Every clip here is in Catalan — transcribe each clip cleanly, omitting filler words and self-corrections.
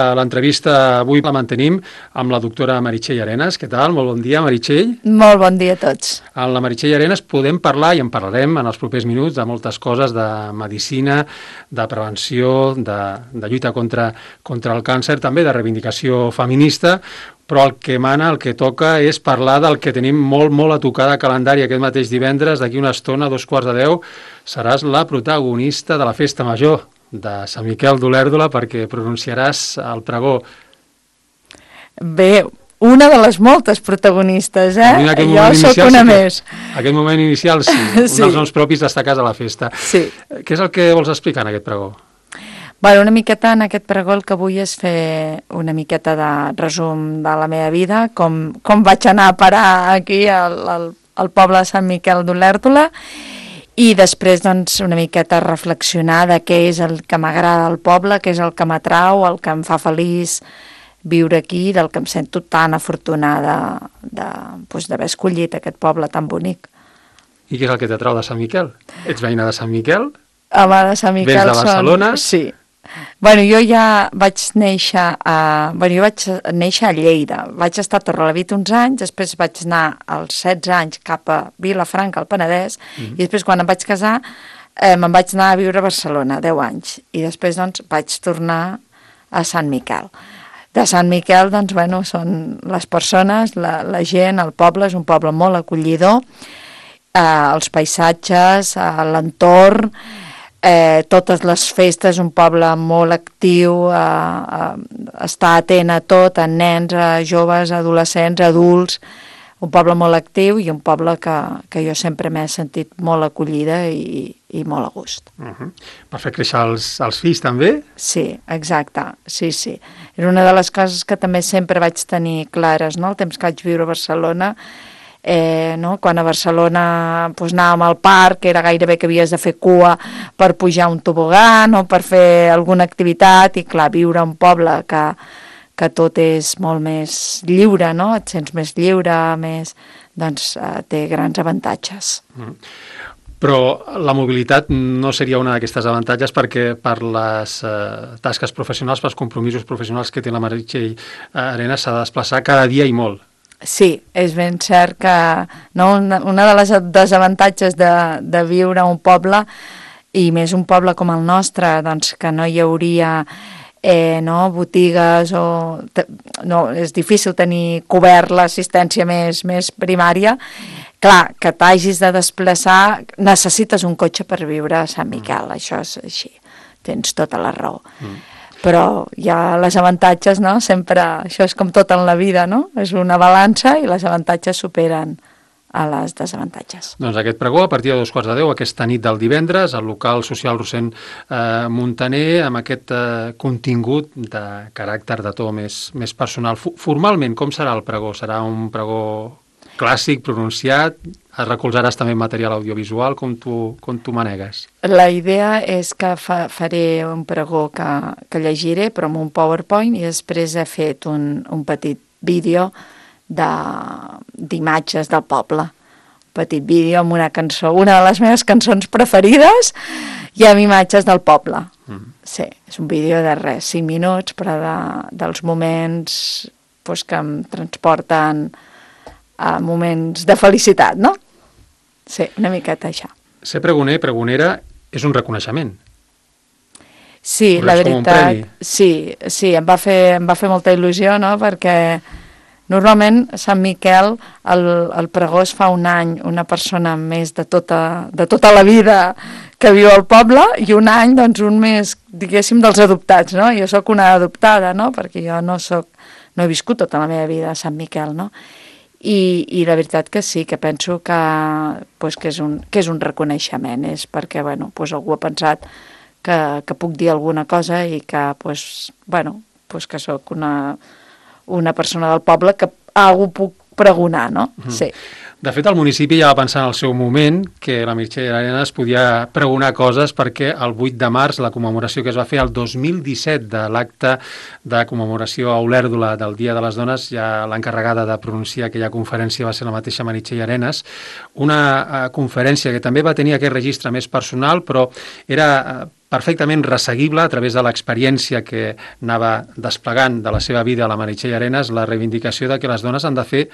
L'entrevista avui la mantenim amb la doctora Meritxell Arenas. Què tal? Molt bon dia, Meritxell. Molt bon dia a tots. Amb la Meritxell Arenas podem parlar, i en parlarem en els propers minuts, de moltes coses, de medicina, de prevenció, de lluita contra el càncer, també de reivindicació feminista, però el que mana, el que toca, és parlar del que tenim molt a tocar de calendari aquest mateix divendres. D'aquí una estona, 9:15, seràs la protagonista de la festa major de Sant Miquel d'Olèrdola, perquè pronunciaràs el pregó. Bé, una de les moltes protagonistes, Jo sóc una més. Aquest moment inicial, sí. Un dels noms propis destacats a la festa. Sí. Què és el que vols explicar en aquest pregó? Bueno, una miqueta en aquest pregó el que vull és fer una miqueta de resum de la meva vida, com vaig anar a parar aquí al poble de Sant Miquel d'Olèrdola, i després, doncs, una miqueta reflexionar de què és el que m'agrada al poble, què és el que m'atrau, el que em fa feliç viure aquí, del que em sento tan afortunada d'haver escollit aquest poble tan bonic. I què és el que t'atrau de Sant Miquel? Ets veïna de Sant Miquel? Home, de Sant Miquel. Vens de Barcelona? Sí. Bueno, jo ja vaig néixer a Lleida. Vaig estar a Torrelavit uns anys, després vaig anar als 16 anys cap a Vilafranca, al Penedès, i després quan em vaig casar me'n vaig anar a viure a Barcelona, 10 anys, i després doncs vaig tornar a Sant Miquel. De Sant Miquel, doncs, bueno, són les persones, la gent, el poble, és un poble molt acollidor, els paisatges, l'entorn, totes les festes, un poble molt actiu, està atent a tot, a nens, a joves, a adolescents, a adults, un poble molt actiu i un poble que jo sempre m'he sentit molt acollida i molt a gust. Per fer créixer els fills també? Sí, exacte, sí. Era una de les coses que també sempre vaig tenir clares, no? El temps que vaig viure a Barcelona, quan a Barcelona anàvem al parc, era gairebé que havies de fer cua per pujar un tobogan o per fer alguna activitat, i clar, viure a un poble que tot és molt més lliure, no? Et sents més lliure, doncs té grans avantatges. Però la mobilitat no seria una d'aquestes avantatges, perquè per les tasques professionals, pels compromisos professionals que té la Meritxell Arenas, s'ha de desplaçar cada dia i molt. Sí, és ben cert que una de les desavantatges de viure a un poble, i més un poble com el nostre, doncs que no hi hauria botigues, és difícil tenir cobert l'assistència més primària. Clar, que t'hagis de desplaçar, necessites un cotxe per viure a Sant Miquel, això és així, tens tota la raó. Però hi ha les avantatges, no? Sempre, això és com tot en la vida, no? És una balança i les avantatges superen a les desavantatges. Doncs aquest pregó a partir de 9:15, aquesta nit del divendres, al local social Rossend Montaner, amb aquest contingut de caràcter de to més personal. Formalment, com serà el pregó? Serà un pregó clàssic, pronunciat? Es recolzaràs també en material audiovisual? Com tu manegues? La idea és que faré un pregó que llegiré, però amb un PowerPoint, i després he fet un petit vídeo d'imatges del poble. Un petit vídeo amb una cançó, una de les meves cançons preferides, i amb imatges del poble. Sí, és un vídeo de 5 minuts, però dels moments que em transporten a moments de felicitat, no? Sí, una miqueta això. Ser pregoner, pregonera, és un reconeixement. Sí, la veritat, sí, em va fer molta il·lusió, no?, perquè normalment a Sant Miquel el pregó es fa un any una persona més de tota la vida que viu al poble, i un any, doncs, un més, diguéssim, dels adoptats, no? Jo sóc una adoptada, no?, perquè jo no he viscut tota la meva vida a Sant Miquel, no? I la veritat que sí, que penso que és un reconeixement, és perquè algú ha pensat que puc dir alguna cosa i que que sóc una persona del poble que algú puc pregonar, no? Sí. De fet, el municipi ja va pensar en el seu moment que la Meritxell Arenas podia pregonar coses, perquè el 8 de març, la commemoració que es va fer el 2017 de l'acte de commemoració a Olèrdola del Dia de les Dones, ja l'encarregada de pronunciar aquella conferència va ser la mateixa Meritxell Arenas, una conferència que també va tenir aquest registre més personal, però era perfectament resseguible a través de l'experiència que anava desplegant de la seva vida a la Meritxell Arenas, la reivindicació de que les dones han de fer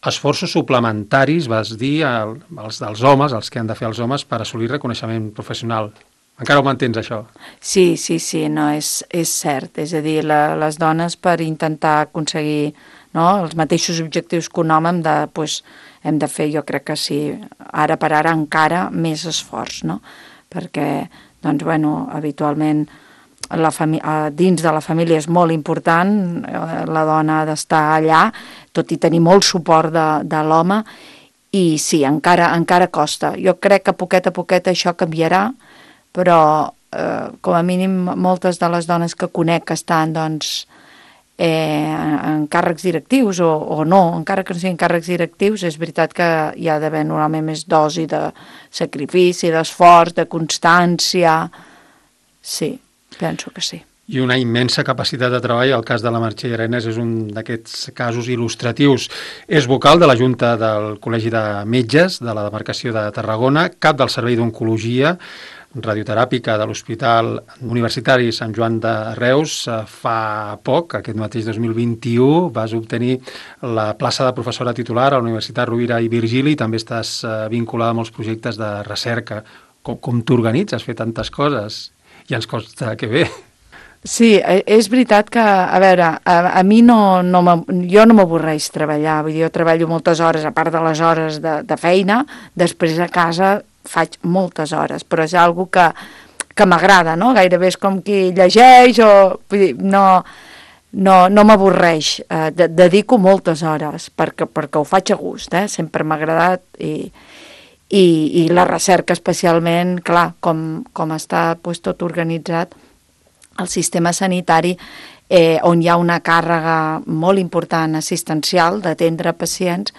esforços suplementaris, vas dir, els dels homes, els que han de fer els homes per assolir reconeixement professional. Encara ho mantens, això? Sí, no, és cert. És a dir, les dones per intentar aconseguir, no, els mateixos objectius que un home hem de fer, jo crec que sí, ara per ara encara més esforç, no? Perquè, doncs, habitualment dins de la família és molt important, la dona ha d'estar allà, tot i tenir molt suport de l'home, i sí, encara costa. Jo crec que a poquet això canviarà, però com a mínim moltes de les dones que conec que estan doncs, en càrrecs directius o no, encara que no siguin càrrecs directius, és veritat que hi ha d'haver normalment més dosi de sacrifici, d'esforç, de constància. Sí, penso que sí. I una immensa capacitat de treball. El cas de la Meritxell Arenas és un d'aquests casos il·lustratius. És vocal de la Junta del Col·legi de Metges de la demarcació de Tarragona, cap del Servei d'Oncologia radioteràpica de l'Hospital Universitari Sant Joan de Reus. Fa poc, aquest mateix 2021, vas obtenir la plaça de professora titular a la Universitat Rovira i Virgili i també estàs vinculada a molts projectes de recerca. Com t'organitzes fer tantes coses? I ens consta que bé. Sí, és veritat que, a veure, a mi jo no m'avorreix treballar, vull dir, jo treballo moltes hores, a part de les hores de feina, després a casa faig moltes hores, però és algo que m'agrada, no? Gairebé és com qui llegeix o... Vull dir, no m'avorreix, dedico moltes hores perquè ho faig a gust, sempre m'ha agradat i la recerca especialment, clar, com està tot organitzat, el sistema sanitari on hi ha una càrrega molt important assistencial d'atendre pacients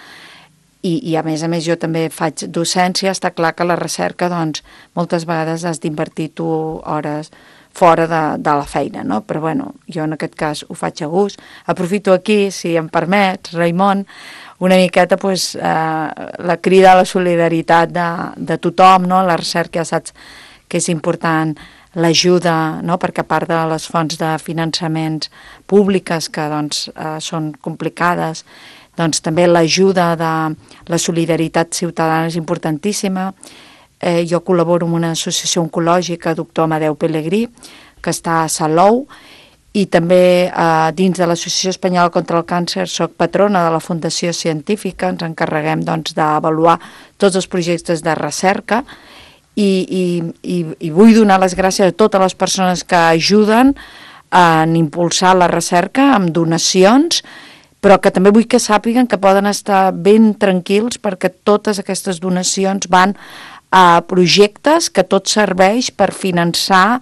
i a més jo també faig docència, està clar que la recerca doncs moltes vegades has d'invertir tu hores fora de la feina, no? Però jo en aquest cas ho faig a gust. Aprofito aquí, si em permets, Raimon, una miqueta la crida a la solidaritat de tothom, no? La recerca ja saps que és important l'ajuda, no? Perquè a part de les fonts de finançaments públiques que doncs, són complicades, doncs també l'ajuda de la solidaritat ciutadana és importantíssima. Jo col·laboro amb una associació oncològica, Doctor Amadeu Pelegrí, que està a Salou, i també dins de l'Associació Espanyola contra el Càncer soc patrona de la Fundació Científica, ens encarreguem doncs, d'avaluar tots els projectes de recerca i vull donar les gràcies a totes les persones que ajuden a impulsar la recerca amb donacions, però que també vull que sàpiguen que poden estar ben tranquils perquè totes aquestes donacions van a projectes que tot serveix per finançar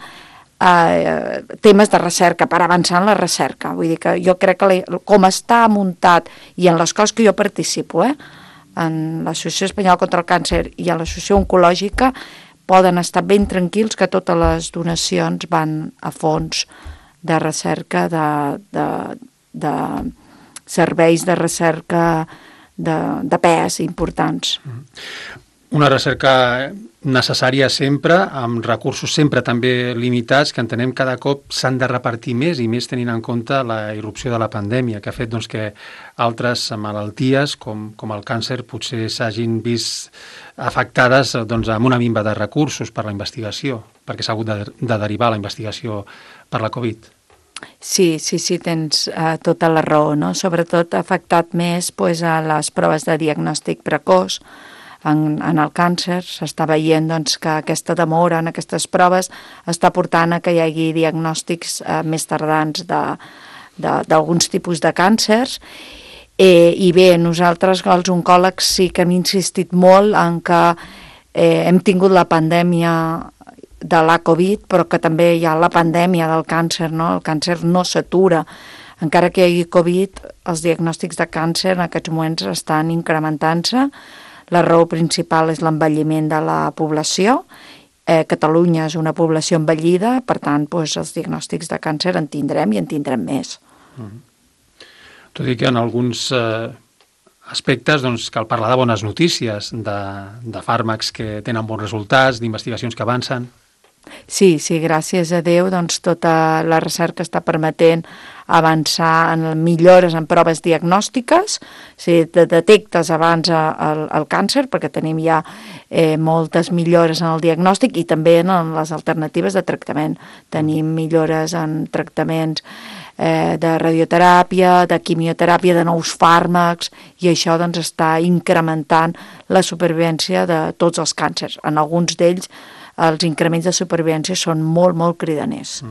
temes de recerca, per avançar en la recerca. Vull dir que jo crec que com està muntat i en les coses que jo participo, en l'Associació Espanyola contra el Càncer i a l'Associació Oncològica, poden estar ben tranquils que totes les donacions van a fons de recerca, de serveis de recerca de pes importants. Una recerca necessària sempre, amb recursos sempre també limitats, que entenem cada cop s'han de repartir més i més tenint en compte la irrupció de la pandèmia, que ha fet doncs, que altres malalties, com el càncer, potser s'hagin vist afectades doncs, amb una minva de recursos per la investigació, perquè s'ha hagut de derivar la investigació per la Covid. Sí, tens tota la raó, no? Sobretot ha afectat més a les proves de diagnòstic precoç en el càncer. S'està veient doncs, que aquesta demora en aquestes proves està portant a que hi hagi diagnòstics més tardans d'alguns tipus de càncers. I bé, nosaltres, els oncòlegs, sí que hem insistit molt en que hem tingut la pandèmia de la Covid, però que també hi ha la pandèmia del càncer, no? El càncer no s'atura. Encara que hi hagi Covid, els diagnòstics de càncer en aquests moments estan incrementant-se. La raó principal és l'envelliment de la població. Catalunya és una població envellida, per tant, doncs, els diagnòstics de càncer en tindrem i en tindrem més. Tot i que en alguns aspectes doncs, cal parlar de bones notícies, de fàrmacs que tenen bons resultats, d'investigacions que avancen. Sí, gràcies a Déu, doncs tota la recerca està permetent avançar en millores en proves diagnòstiques, si detectes abans el càncer, perquè tenim ja moltes millores en el diagnòstic i també en les alternatives de tractament. Tenim millores en tractaments de radioteràpia, de quimioteràpia, de nous fàrmacs, i això doncs està incrementant la supervivència de tots els càncers. En alguns d'ells els increments de supervivència són molt, molt cridaners.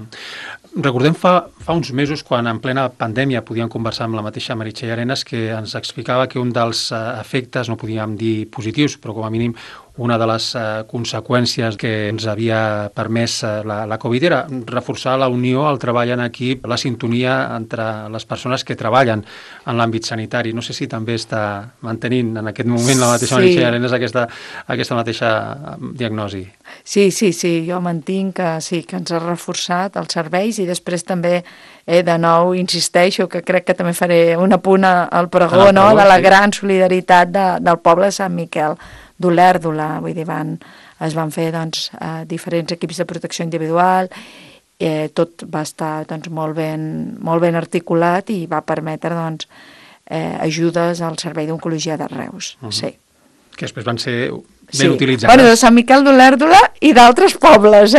Recordem fa uns mesos, quan en plena pandèmia podíem conversar amb la mateixa Meritxell Arenas, que ens explicava que un dels efectes, no podíem dir positius, però com a mínim una de les conseqüències que ens havia permès la Covid era reforçar la unió, el treball en equip, la sintonia entre les persones que treballen en l'àmbit sanitari. No sé si també està mantenint en aquest moment la mateixa Meritxell Arenas aquesta mateixa diagnosi. Sí, jo mantinc que sí, que ens ha reforçat els serveis, i després també de nou insisteixo que crec que també faré un apunt al pregó, no? De la gran solidaritat del poble de Sant Miquel d'Olèrdola. Vull dir, es van fer doncs, diferents equips de protecció individual, tot va estar doncs, molt ben articulat i va permetre doncs, ajudes al servei d'oncologia de Reus. Sí. Que després van ser ben utilitzades. Bueno, de Sant Miquel d'Olèrdola i d'altres pobles,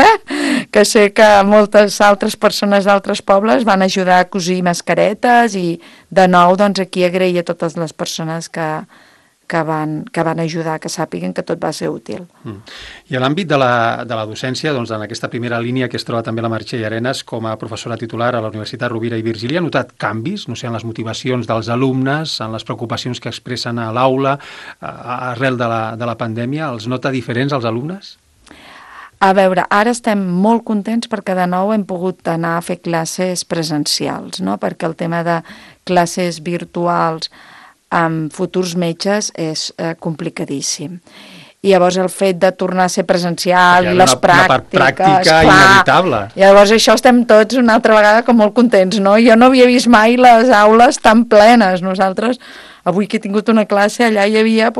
que sé que moltes altres persones d'altres pobles van ajudar a cosir mascaretes, i de nou doncs, aquí agrair a totes les persones que van ajudar, que sàpiguen que tot va ser útil. I a l'àmbit de la docència, doncs, en aquesta primera línia que es troba també la Meritxell Arenas com a professora titular a la Universitat Rovira i Virgili, ha notat canvis, no sé, en les motivacions dels alumnes, en les preocupacions que expressen a l'aula arrel de la pandèmia? Els nota diferents als alumnes? A veure, ara estem molt contents perquè de nou hem pogut anar a fer classes presencials, no? Perquè el tema de classes virtuals amb futurs metges és complicadíssim. I llavors el fet de tornar a ser presencial, les pràctiques... Una part pràctica inevitable. Llavors això estem tots una altra vegada com molt contents, no? Jo no havia vist mai les aules tan plenes. Nosaltres, avui que he tingut una classe, allà hi havia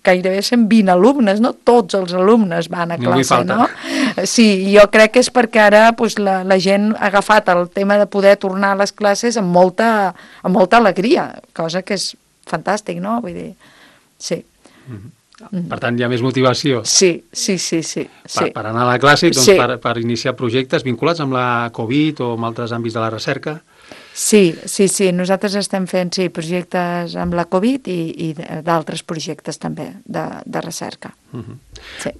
gairebé 120 alumnes, no? Tots els alumnes van a classe, no? Sí, jo crec que és perquè ara la gent ha agafat el tema de poder tornar a les classes amb molta alegria, cosa que és fantàstic, no? Vull dir, sí. Per tant, hi ha més motivació. Sí. Per anar a la classe, doncs, per iniciar projectes vinculats amb la Covid o amb altres àmbits de la recerca? Sí. Nosaltres estem fent projectes amb la Covid i d'altres projectes també de recerca. Sí.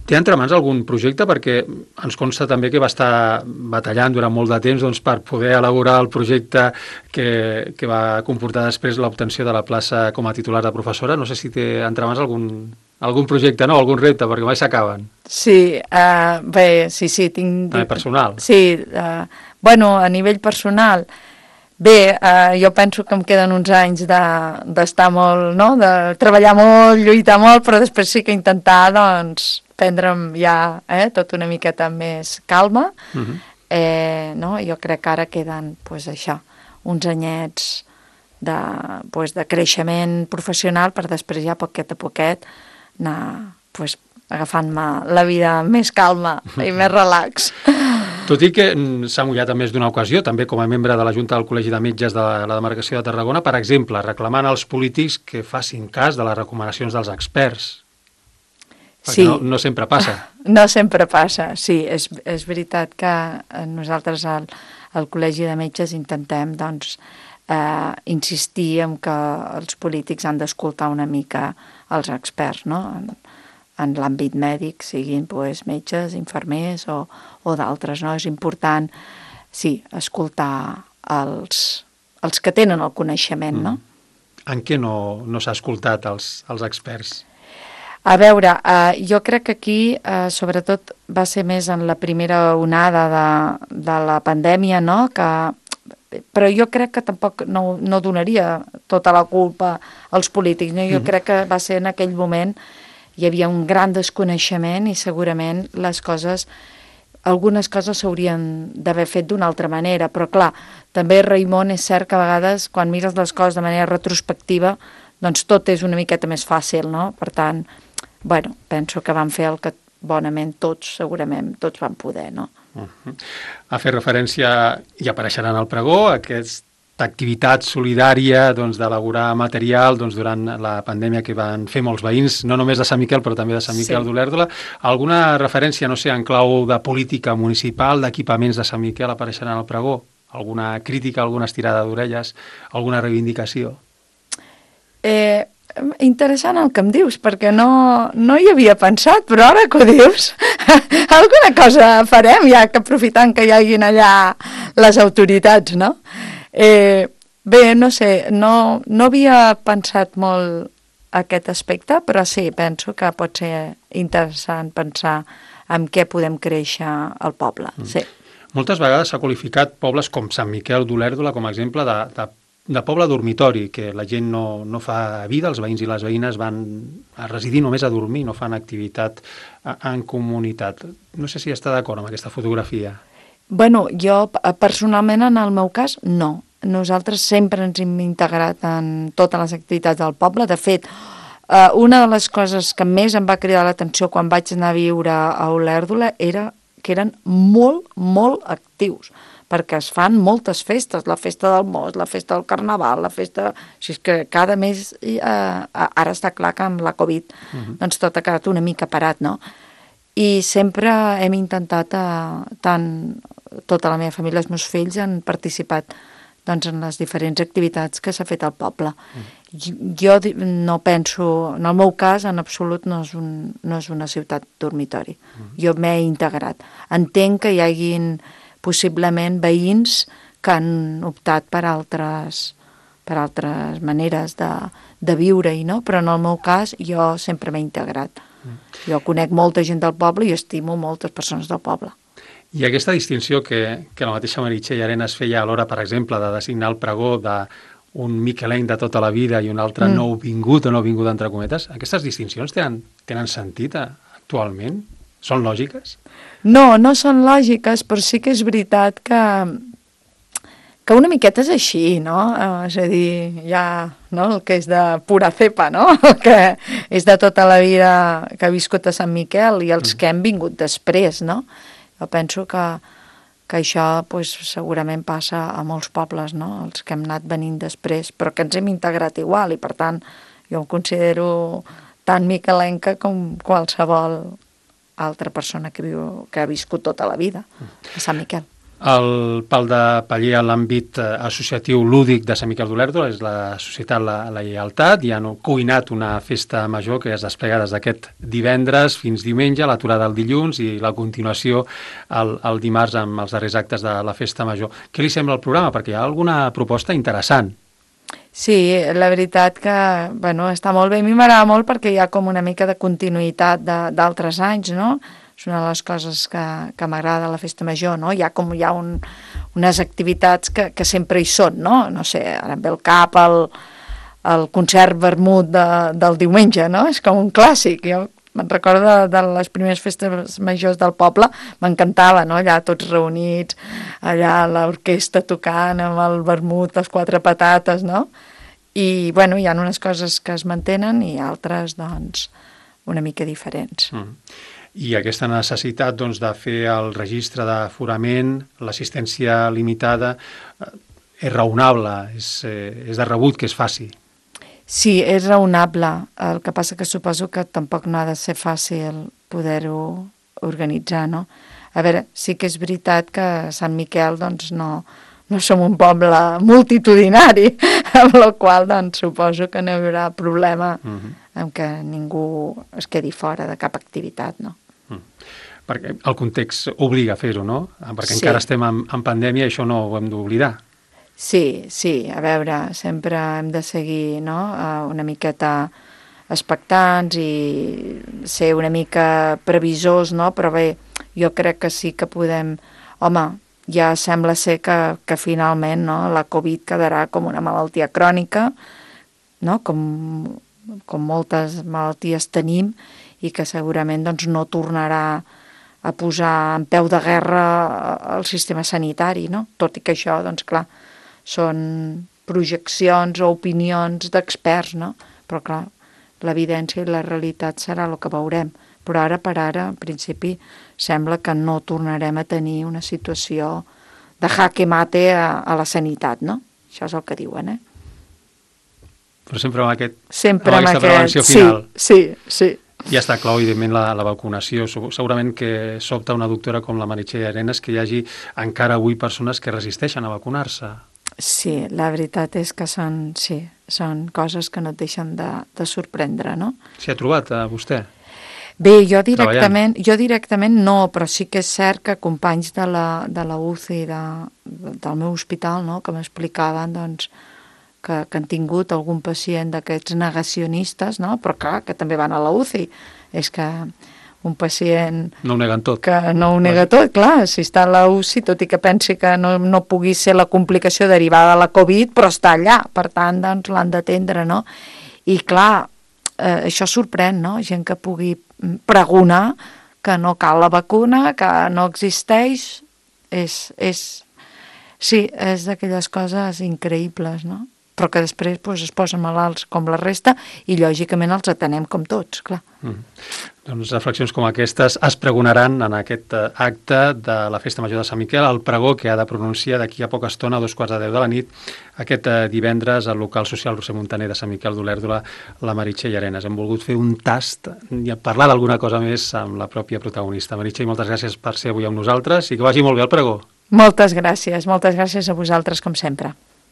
Té entre mans algun projecte? Perquè ens consta també que va estar batallant durant molt de temps doncs, per poder elaborar el projecte que va comportar després l'obtenció de la plaça com a titular de professora. No sé si té entre mans algun projecte, no? Algun repte, perquè mai s'acaben. Sí, bé, sí, tinc... També personal. Sí, bueno, a nivell personal... Bé, jo penso que em queden uns anys d'estar molt, no?, de treballar molt, lluitar molt, però després sí que intentar, doncs, prendre'm ja tot una miqueta més calma. No? Jo crec que ara queden, doncs, això, uns anyets de creixement professional per després ja poquet a poquet anar, doncs, agafant-me la vida més calma i més relax. Tot i que s'ha mullat en més d'una ocasió, també com a membre de la Junta del Col·legi de Metges de la demarcació de Tarragona, per exemple, reclamant als polítics que facin cas de les recomanacions dels experts. Perquè no sempre passa. No sempre passa, sí. És veritat que nosaltres al Col·legi de Metges intentem, doncs, insistir en que els polítics han d'escoltar una mica els experts, no?, en l'àmbit mèdic, siguin metges, infermers o d'altres, no? És important, sí, escoltar els que tenen el coneixement, no? En què no s'ha escoltat els experts? A veure, jo crec que aquí, sobretot, va ser més en la primera onada de la pandèmia, no?, però jo crec que tampoc no donaria tota la culpa als polítics, no? Jo crec que va ser en aquell moment hi havia un gran desconeixement i segurament algunes coses s'haurien d'haver fet d'una altra manera, però clar, també, Raimon, és cert que a vegades quan mires les coses de manera retrospectiva, doncs tot és una miqueta més fàcil, no? Per tant, bueno, penso que van fer el que bonament tots, segurament, tots van poder, no? Ha fet referència, i apareixerà en el pregó, aquesta activitat solidària d'elaborar material durant la pandèmia que van fer molts veïns, no només de Sant Miquel, però també de Sant Miquel d'Olèrdola. Alguna referència, no sé, en clau de política municipal, d'equipaments de Sant Miquel apareixerà en el pregó? Alguna crítica, alguna estirada d'orelles, alguna reivindicació? Interessant el que em dius, perquè no hi havia pensat, però ara que ho dius, alguna cosa farem, ja que aprofitant que hi hagin allà les autoritats, no? Bé, no sé, no havia pensat molt aquest aspecte, però sí, penso que pot ser interessant pensar en què podem créixer al poble, sí. Moltes vegades s'ha qualificat pobles com Sant Miquel d'Olèrdola com a exemple de poble dormitori, que la gent no fa vida, els veïns i les veïnes van a residir només a dormir, no fan activitat en comunitat. No sé si està d'acord amb aquesta fotografia. Bueno, jo personalment en el meu cas no. Nosaltres sempre ens hem integrat en totes les activitats del poble. De fet, una de les coses que més em va cridar l'atenció quan vaig anar a viure a Olèrdola era que eren molt, molt actius, perquè es fan moltes festes, la festa del Most, la festa del Carnaval, la festa... O sigui, que cada mes, ara està clar que amb la Covid, doncs tot ha quedat una mica parat, no? I sempre hem intentat, tant tota la meva família, els meus fills han participat doncs, en les diferents activitats que s'ha fet al poble. Jo no penso, en el meu cas, en absolut no és una ciutat dormitori. Jo m'he integrat. Entenc que hi haguin possiblement veïns que han optat per altres maneres de viure-hi, no? Però en el meu cas jo sempre m'he integrat. Jo conec molta gent del poble i estimo moltes persones del poble. I aquesta distinció que la mateixa Meritxell Arenas feia a l'hora, per exemple, de designar el pregó d'un miquelenc de tota la vida i un altre nouvingut o nouvingut entre cometes, aquestes distincions tenen sentit actualment? Són lògiques? No són lògiques, però sí que és veritat que una miqueta és així, no? És a dir, ja el que és de pura cepa, no? Que és de tota la vida que ha viscut a Sant Miquel i els que hem vingut després, no? Jo penso que això segurament passa a molts pobles, no? Els que hem anat venint després, però que ens hem integrat igual i, per tant, jo em considero tan miquelenca com qualsevol altra persona que ha viscut tota la vida a Sant Miquel. El Pal de Paller a l'àmbit associatiu lúdic de Sant Miquel d'Olèrdola és la Societat La Lleialtat, i han cuinat una festa major que es desplega des d'aquest divendres fins diumenge, l'aturada el dilluns i la continuació el dimarts amb els darrers actes de la festa major. Què li sembla el programa? Perquè hi ha alguna proposta interessant. Sí, la veritat que està molt bé. A mi m'agrada molt perquè hi ha com una mica de continuïtat d'altres anys, no? És una de les coses que m'agrada a la festa major, no? Hi ha unes activitats que sempre hi són, no? No sé, ara em ve el cap el concert vermut del diumenge, no? És com un clàssic. Jo me'n recordo de les primeres festes majors del poble, m'encantava, no? Allà tots reunits, allà l'orquestra tocant amb el vermut, les quatre patates, no? I, hi ha unes coses que es mantenen i altres, doncs, una mica diferents. I aquesta necessitat de fer el registre d'aforament, l'assistència limitada, és raonable, és de rebut que es faci. Sí, és raonable. El que passa que suposo que tampoc no ha de ser fàcil poder-ho organitzar, no? A veure, sí que és veritat que a Sant Miquel doncs, no som un poble multitudinari, amb la qual doncs, suposo que no hi haurà problema en què ningú es quedi fora de cap activitat, no? Perquè el context obliga a fer-ho, no? Perquè encara estem en pandèmia i això no ho hem d'oblidar. Sí, a veure, sempre hem de seguir, no?, una miqueta expectants i ser una mica previsors, no? Però bé, jo crec que sí que podem... Home, ja sembla ser que finalment, no?, la Covid quedarà com una malaltia crònica, no?, com moltes malalties tenim, i que segurament doncs, no tornarà a posar en peu de guerra el sistema sanitari, no? Tot i que això, doncs clar, són projeccions o opinions d'experts, no? Però clar, l'evidència i la realitat serà el que veurem. però ara per ara, en principi, sembla que no tornarem a tenir una situació de jaque mate a la sanitat, no? Això és el que diuen, Però sempre amb Sempre amb aquesta prevenció aquest... final. Sí. Ja està clar, evidentment, la vacunació. Segurament que sobta una doctora com la Meritxell Arenas que hi hagi encara avui persones que resisteixen a vacunar-se. Sí, la veritat és que són coses que no et deixen de sorprendre, no? S'hi ha trobat, vostè? Bé, jo directament no, però sí que és cert que companys de la UCI del meu hospital, no?, que m'explicaven, doncs, que han tingut algun pacient d'aquests negacionistes, no?, però clar, que també van a la UCI. És que un pacient... No ho neguen tot. Que no ho nega tot, clar, si està a la UCI, tot i que pensi que no pugui ser la complicació derivada de la Covid, però està allà, per tant, doncs l'han d'atendre, no? I clar, això sorprèn, no?, gent que pugui pregonar que no cal la vacuna, que no existeix, sí, és d'aquelles coses increïbles, no?, però que després es posen malalts com la resta i lògicament els atenem com tots, clar. Doncs reflexions com aquestes es pregonaran en aquest acte de la Festa Major de Sant Miquel, el pregó que ha de pronunciar d'aquí a poca estona, a 2:15 de la nit, aquest divendres al local social Roser Montaner de Sant Miquel d'Olèrdola, la Meritxell Arenas. Hem volgut fer un tast i parlar d'alguna cosa més amb la pròpia protagonista. Meritxell, moltes gràcies per ser avui amb nosaltres i que vagi molt bé el pregó. Moltes gràcies a vosaltres, com sempre.